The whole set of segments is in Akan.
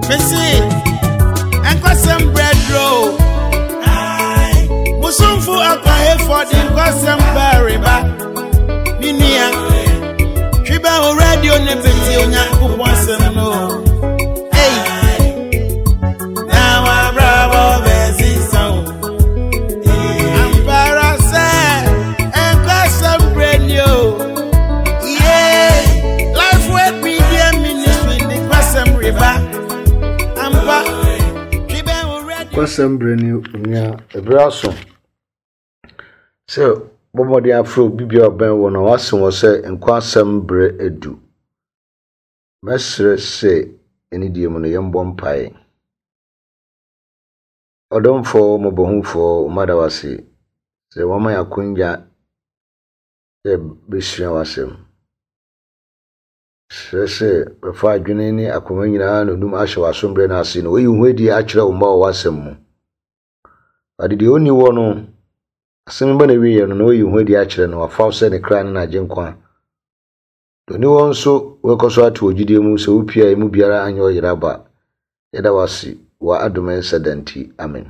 Mese, nkwasɛm brɛduro. Musumfo akwahefo de nkwasɛm bɛreba. Me nua, twi bɛ wo radio ne bɛti Onyankopɔn asɛm no. Ei, na wabrabɔ bɛsesa o. Ampara sɛ nkwasɛm brɛ ni o. Yeah, Life Word Media Ministry de nkwasɛm reba. Ampa, twi bɛ wo radio. Kwasɛm berɛ ni onua, ɛberɛ aso sɛ bɔ mmɔden afrɛ obi biara a ɔbɛn wo na wase wɔ sɛ nkwasɛm berɛ adu. Mɛsrɛ sɛ anidie mu no yɛmbɔ mpaeɛ. Ɔdomfoɔ, mmɔbɔhufoɔ, mada wo ase sɛ woama yɛn akwanya sɛ yɛbɛsua w'asɛm. Srɛ sɛ bɛfa adwene ne akoma nyinaa na onum ahyɛ w'asom berɛ no ase na wayi wo ho adi akyerɛ wo mma wɔ w'asɛm mu. Ade deɛ ɔnni hɔ no, asɛm ba na wieɛ no na wayi wo ho adi akyerɛ no, wafa wo sɛ ne kra ne n'agyenkwa. Deɛ ɔnni hɔ nso, wobɛkɔ so ato wɔ gyidie mu sɛ wopie a emu biara anyɛ ɔyera ba. Yɛda wo ase wɔ adom nsa da nti. Amen.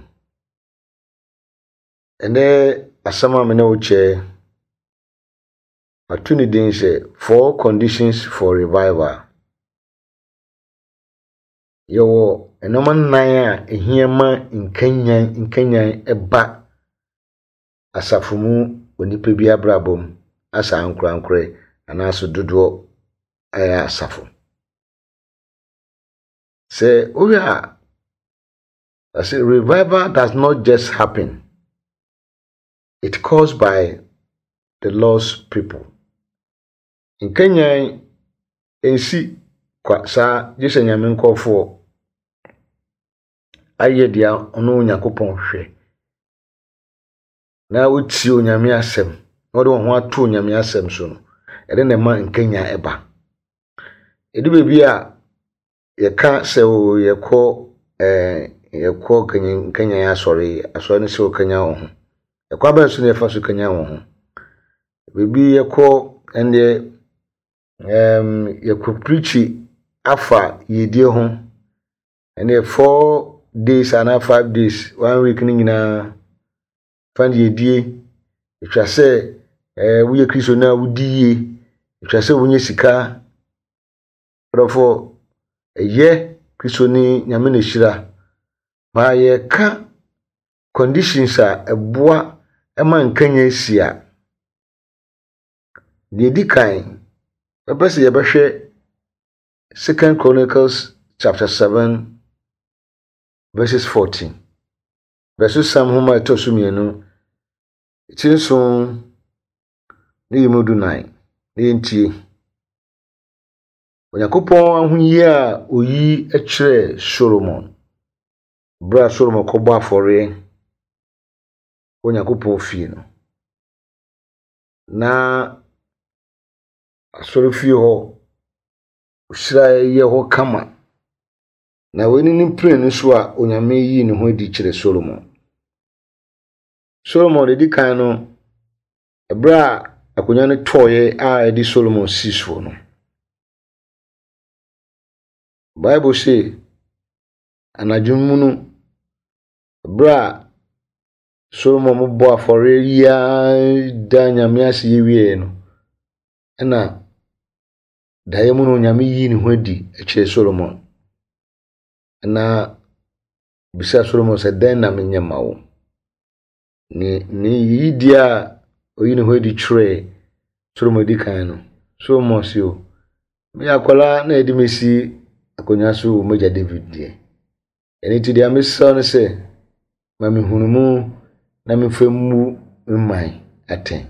Ɛnɛ asɛm a me ne wo kyɛ, mato ne din sɛ Four Conditions for Revival. Yɛwɔ nneɛma nnan a ɛhia ma nkanyan nkanyan ba asafo mu onipa bi abrabɔ mu asa ankorankorɛ anaasɛ dodoɔ a ɛyɛ asafo. Sɛ wohwɛ a, ɔse revival does not just happen, it caused by the Lord's people. Nkanyan nsi kwa saa gye sɛ Nyame nkurɔfoɔ ayɛ deɛ ɔno Onyankopɔn hwɛ na wotie Onyame asɛm na wɔde wɔn ho ato Onyame asɛm so no, ɛde na ɛma nkanyan ɛba. Ɛdu baabi a yɛka sɛ o yɛkɔ ɛɛ yɛkɔ nkanyan asɔre, asɔre no sɛ wɔkanyan wɔn ho. Ɛkwan bɛn so na yɛfa so kanyan wɔn ho? Baabi yɛkɔ ɛndeɛ ɛɛm yɛkɔ pirikyi afa yiedie ho. Ɛndeɛ 4 days anaa 5 days, one week no nyinaa fa no yiedie. Ɛtwa sɛ ɛɛ woyɛ Kristoni a wodi yie, ɛtwa sɛ wonya sika. Adɔfoɔ, ɛyɛ Kristoni Nyame na ɛhyira. Ma yɛka conditions a ɛboa ma nkanyan si a, deɛ ɛdi kan, mɛpɛ sɛ yɛbɛhwɛ Second Chronicles chapter 7 verses 14. Bɛsosɛm nhoma a ɛtɔ so mmienu, ti nson ne yi mu 14, na yɛntie. Onyankopɔn ahoyi a oyi kyerɛɛ Solomon berɛ a Solomon kɔbɔ afɔreɛ wɔ Onyankopɔn fie no. Na asɔrefie hɔ, ɔhyiraeɛ yɛ hɔ kama. Na wei ne ne mprenu so a Onyame yii ne ho adi kyerɛ Solomon. Solomon deɛ di kan no, ɛberɛ a akonnwa no tɔeɛ a ɛde Solomon sii soɔ no, Bible se anadwo mu no, berɛ a Solomon bɔ afɔreɛ yi ara da Nyame ase yi wieeɛ no, ɛna daeɛ mu no Onyame yii ne ho adi kyerɛɛ Solomon. Na bisa Solomon sɛ, dɛn na menyɛ ma wo? Ne yiyidie a ɔyi ne ho adi kyerɛɛ Solomon di kan no, Solomon se o, meyɛ akwadaa na yɛde me si akonnwa so wɔ m'agya David deɛ. Ɛno nti deɛ mesrɛ no sɛ, ma me nhunumu na memfa mmu me man atɛn.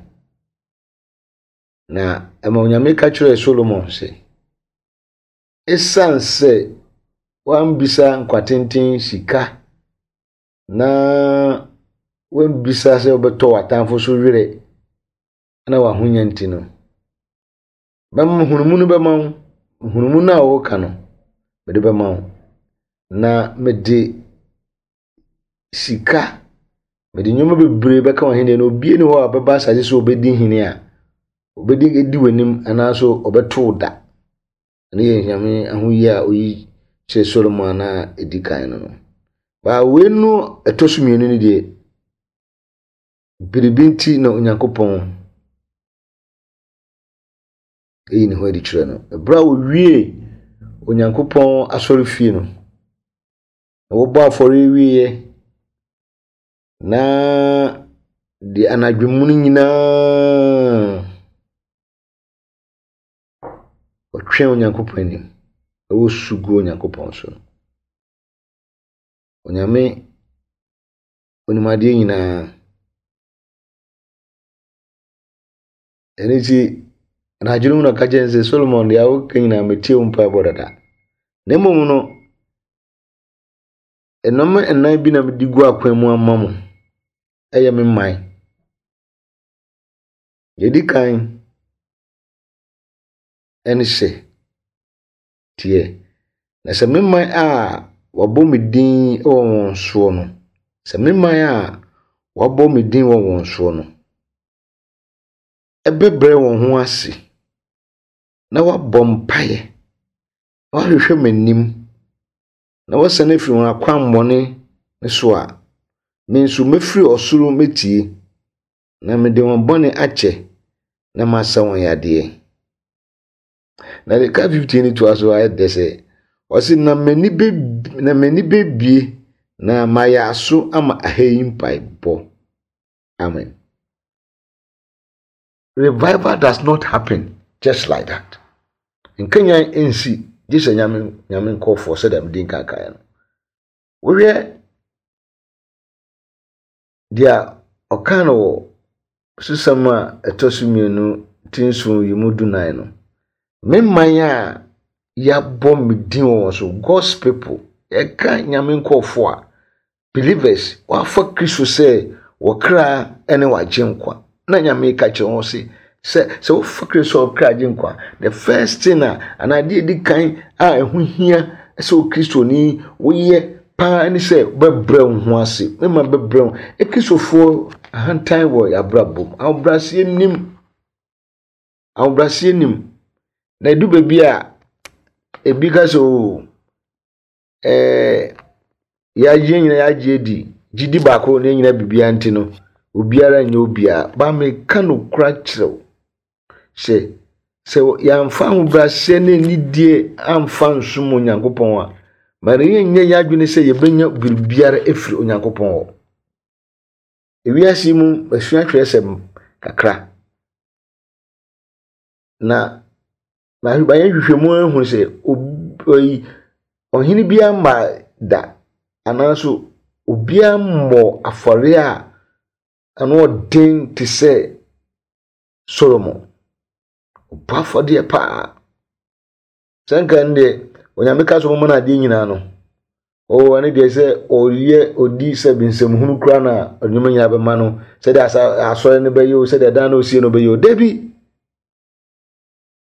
Na ɛma Onyame ka kyerɛɛ Solomon sɛ, ɛsiane sɛ woambisa nkwatenten sika na woambisa sɛ wobɛtɔ w'atamfo so werɛ na w'ahonya nti no, bɛma nhunumu no bɛma wo, nhunumu no a wɔreka no, mede bɛma wo. Na mede sika, mede nneɛma bebree bɛka w'ahenni no. Obiara nni hɔ a ɔbɛba asase so a ɔbɛdi hene a ɔbɛdi adi w'anim anaasɛ ɔbɛto wo da. Ɛno yɛ Nyame ahoyi a oyi kyerɛ Solomon a ɛdi kan no no. Baa wei no ɛtɔ so mmienu no deɛ, biribi nti na Onyankopɔn yi ne ho adi kyerɛ no. Ɛberɛ a wɔwiee Onyankopɔn asɔrefie no, na wɔbɔ afɔreɛ wieeɛ, na deɛ anadwo mu no nyinaa ɔtwɛn Onyankopɔn anim na wɔsu gu Onyankopɔn so no. Onyame onim adeɛ nyinaa. Ɛno nti, anadwo no mu na ɔka kyerɛ no sɛ, Solomon, deɛ woka nyinaa metie wo mpaebɔ dada. Na mmom no, nneɛma nnan bi na mede gu akwan mu ama mo. Ɛyɛ me man. Deɛ ɛdi kan ɛne sɛ, teɛ. Na sɛ me man a wɔabɔ me din wɔ wɔn soɔ no, sɛ me man a wɔabɔ me din wɔ wɔn soɔ no, bɛbrɛ wɔn ho ase na wɔabɔ mpaeɛ, na wɔahwehwɛ m'anim, na wɔasane afiri wɔn akwammɔne no so a, me nso mɛfiri ɔsoro mɛtie, na mede wɔn bɔne akyɛ, na masa wɔn yadeɛ. Na deɛ ka 15 no toa so ayɛ dɛ sɛ, ɔse na m'ani bɛ na m'ani bɛbie na mayɛ aso ama aha yi mpaebɔ. Amen. Revival does not happen just like that. Nkanyan nsi gye sɛ nyame nyame nkɔfoɔ sɛdeɛ mede nkan kaeɛ no. Wohwɛ deɛ ɔka no wɔ susɛm a ɛtɔ so mmienu ti nson yi mu dunan no. Me man a yɛabɔ me din wɔ wɔn so, God's people, yɛka nyame nkɔfoɔ a, Believers, wɔafa Kristo sɛ wɔ kra ne w'agyenkwa. Na Nyame ka kyerɛ wɔn se, sɛ sɛ wofa Kristo sɛ ɔkra agyenkwa, the first thing a anaa adeɛ edi kan a ɛho hia sɛ Okristoni woyɛ paa ne sɛ wobɛbrɛ wo ho ase. Mema bɛbrɛ wo. Akristofoɔ ahantan wɔ yɛn abrabɔ mu. Ahobrɛaseɛ nim. Ahobrɛaseɛ nim. Na edu baabi a ebi ka sɛ oo. Ɛɛ yɛagye nyina yɛagye adi gyidi baako na nyina biribiara nti no obiara nyɛ obiara ba meka nokora kyerɛ wo sɛ sɛ yɛamfa ahobrɛaseɛ ne anidie amfa nsom Onyankopɔn a ma ne yɛnyɛ yɛn adwene sɛ yɛbɛnya biribiara afiri Onyankopɔn hɔ. Ewiase mu masua twerɛsɛm kakra na Mayɛ nhwehwɛmu ahu sɛ obi ɔhene biara mmaa da anaaso obiara mmɔɔ afɔre a ano ɔden te sɛ Solomon. Ɔbɔ afɔdeɛ paa. Sɛ nka ɛno deɛ Onyame ka sɛ ɔmma no adeɛ nyinaa no, oh, ɛno deɛ sɛ ɔyɛ ɔdi sɛ nsɛmhunu koraa na nneɛma nyinaa bɛma no sɛdeɛ asɔre no bɛyɛ o sɛdeɛ dan no osie no bɛyɛ o dabi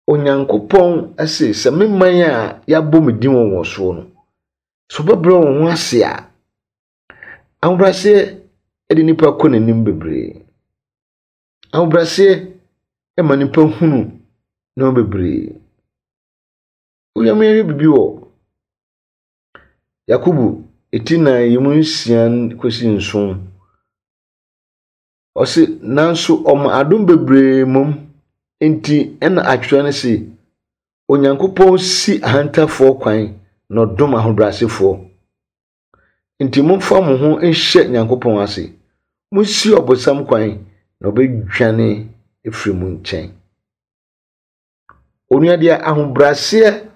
Onyankopɔn se, sɛ me man a yɛabɔ me din wɔ wɔn soɔ no, sɛ wɔbɛbrɛ wɔn ho ase a, ahobrɛaseɛ de nipa kɔ n'anim bebree. Ahobrɛaseɛ ma nipa hunu nneɛma bebree. Onyame yɛ biribi wɔ Yakobo ti nan yi mu nsia kɔsi nson. Ɔse, nanso ɔma adom bebree mmom nti na atwerɛ no se, Onyankopɔn si ahantafoɔ kwan na ɔdom ahobrɛasefoɔ. Nti momfa mo ho nhyɛ Nyankopɔn ase. Monsi ɔbonsam kwan na ɔbɛdwane afiri mo nkyɛn. Onua deɛ ahobrɛaseɛ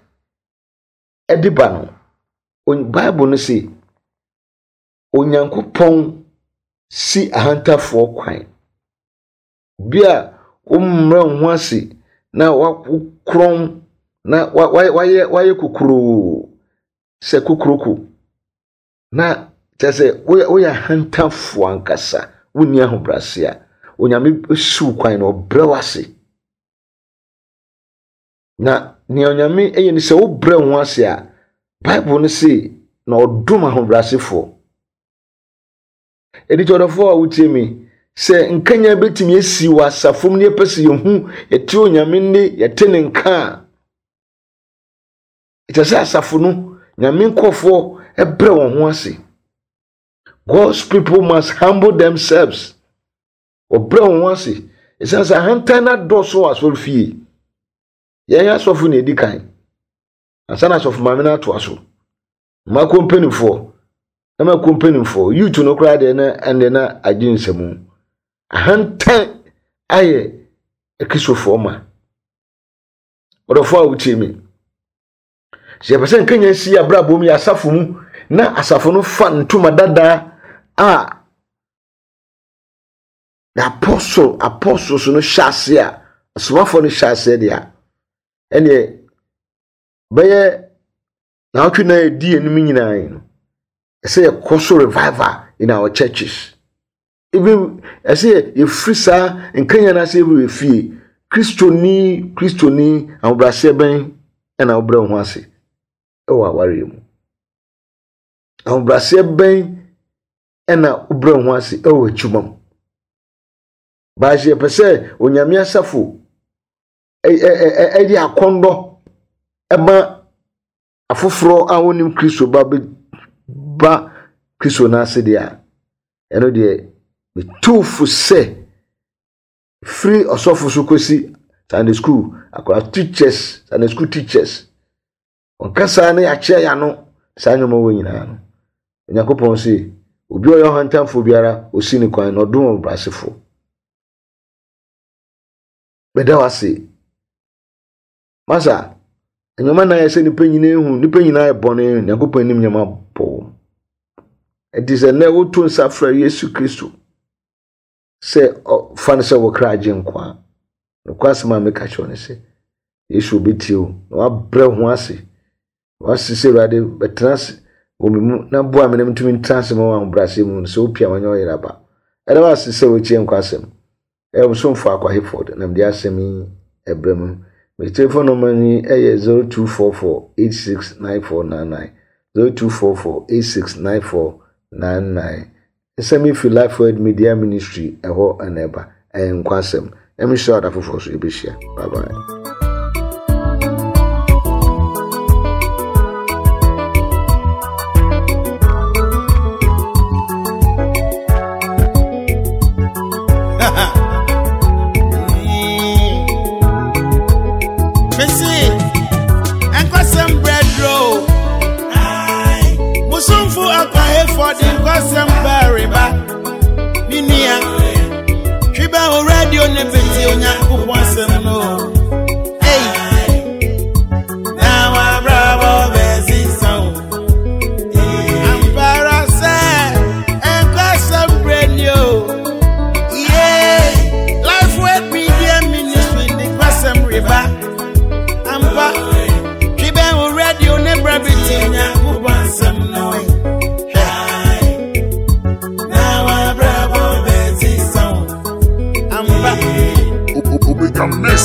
de ba no, Bible no se, Onyankopɔn si ahantafoɔ kwan. Obi a wommrɛ wo ho ase na wokorɔn na wayɛ wayɛ kokuroo sɛ kokuroko na kyerɛ sɛ woyɛ woyɛ ahantafoɔ ankasa wonni ahobrɛase a Onyame si wo kwan na ɔbrɛ wo ase. Na nea Onyame yɛ ne sɛ wobrɛ wo ho ase a, Bible no se na ɔdom ahobrɛasefoɔ. Ɛdi ɔdɔfoɔ a wotie me, sɛ nkanya bɛtumi asi wɔ asafo mu ne yɛpɛ sɛ yɛhu yɛte Onyame nne, yɛte ne nka a, ɛkyɛ sɛ asafo no Nyame nkurɔfoɔ brɛ wɔn ho ase. God's people must humble themselves. Wɔbrɛ wɔn ho ase. Ɛsiane sɛ ahantan no adɔɔso wɔ asɔre fie. Yɛn asɔfo na ɛdi kan. Ansa na asɔfo maame no atoa so. Mmakuo mpanimfoɔ, na mmakuo mpanimfoɔ, youth no koraa deɛ na ɛnde na agye nsamu. Ahantan ayɛ akristofoɔ ma. Ɔdɔfoɔ a wotie me. Sɛ yɛpɛ sɛ nkanya si abrabɔ mu yɛ asafo mu na asafo no fa ntoma dada a the apostle apostles no hyɛ ase a asomafoɔ no hyɛ aseɛ deɛ a ɛneɛ bɛyɛ naawɔtwe na ɛdi anim nyinaa yi no ɛsɛ yɛkɔ so revival in our churches. Even ɛsɛ yɛ yɛfiri saa nkanya no ase yɛwura fie. Kristoni Kristoni ahobrɛaseɛ bɛn ɛna wobrɛ wo ho ase ɛwɔ awareɛ mu? Ahobrɛaseɛ bɛn ɛna wobrɛ wo ho ase ɛwɔ adwuma mu? Baasi yɛpɛ sɛ Onyame asafo ɛde akɔndɔ ɛma afoforɔ a wɔnnim Kristo ba ba Kristo no ase deɛ a, ɛno deɛ metu fo sɛ firi ɔsɔfo so kɔsi Sunday school akwadaa teachers Sunday school teachers wɔn kasa ne yɛakyea yɛn ano saa nneɛma wɔ nyinaa no Onyankopɔn se obi a ɔyɛ ɔhantanfoɔ biara ɔsi ne kwan na ɔdom ɔbrɛasefoɔ. Meda wo ase. Masa, nneɛma na ayɛ sɛ nnipa nyinaa ehu, nnipa nyinaa yɛ bɔne, Nyankopɔn anim nneɛma bɔ wɔn. Ɛnti sɛ nnɛ woto nsa frɛ Yesu Kristo sɛ fa no sɛ wo kra agye nkwa a, nokwasɛm a meka kyerɛ ne sɛ, Yesu obetie wo na wabrɛ ho ase. Wase sɛ Awurade bɛtena ase wɔ me mu na boa me na mentumi ntena ase ma wɔ ahobrɛaseɛ mu no sɛ wopia wanyɛ ɔyere aba. Ɛda wo ase sɛ wotie nkwa asɛm. Ɛyɛ wo somfo Akwa Hayford na mede asɛm yi ɛbrɛ mu. Me telephone number ni ɛyɛ 0244 869499 0244 869499. Nsɛm yi fi Life Word Media Ministry ɛhɔ na ɛba. Ɛyɛ nkwa asɛm. Nyame nhyira wo da foforɔ so yɛbɛhyia. Bye bye. Mese, nkɔsɛm brɛdro. Musumfu akwahefoɔ de nkɔsɛm bɛreba. Me nua, twi bɛ wo radio ne bɛtie Onyankopɔn asɛm no. Ei, na wabrabɔ bɛsesa o. Ampara sɛ nkɔsɛm brɛ ni o. Yeah, Life Word Media Ministry de nkɔsɛm reba. Ampa, twi bɛ wo radio ne brɛ bɛtie Onyankopɔn asɛm no. Hwɛ, na wabrabɔ bɛsesa o. Ampa. Omega Mix.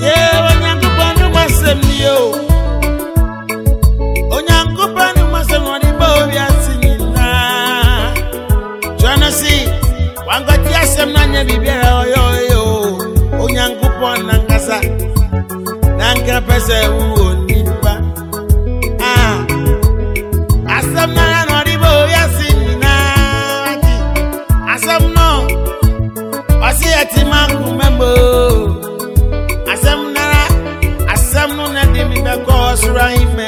Yeah, Onyankopɔn no asɛm ni o. Onyankopɔn no asɛm na ɔde bɔɔ wiase nyinaa. Kyerɛ no se, wankɔte asɛm no anyɛ biribiara a ɔyɛ ɔyɛ o. Onyankopɔn nankasa, nanka pɛ sɛ wowɔ nipa. Ah, asɛm no ara na ɔde bɔɔ wiase nyinaa. Nti, asɛm no, ɔse ɛte m'akoma mu o. Asɛm nara, asɛm no na de me bɛkɔ ɔsoro ahemman.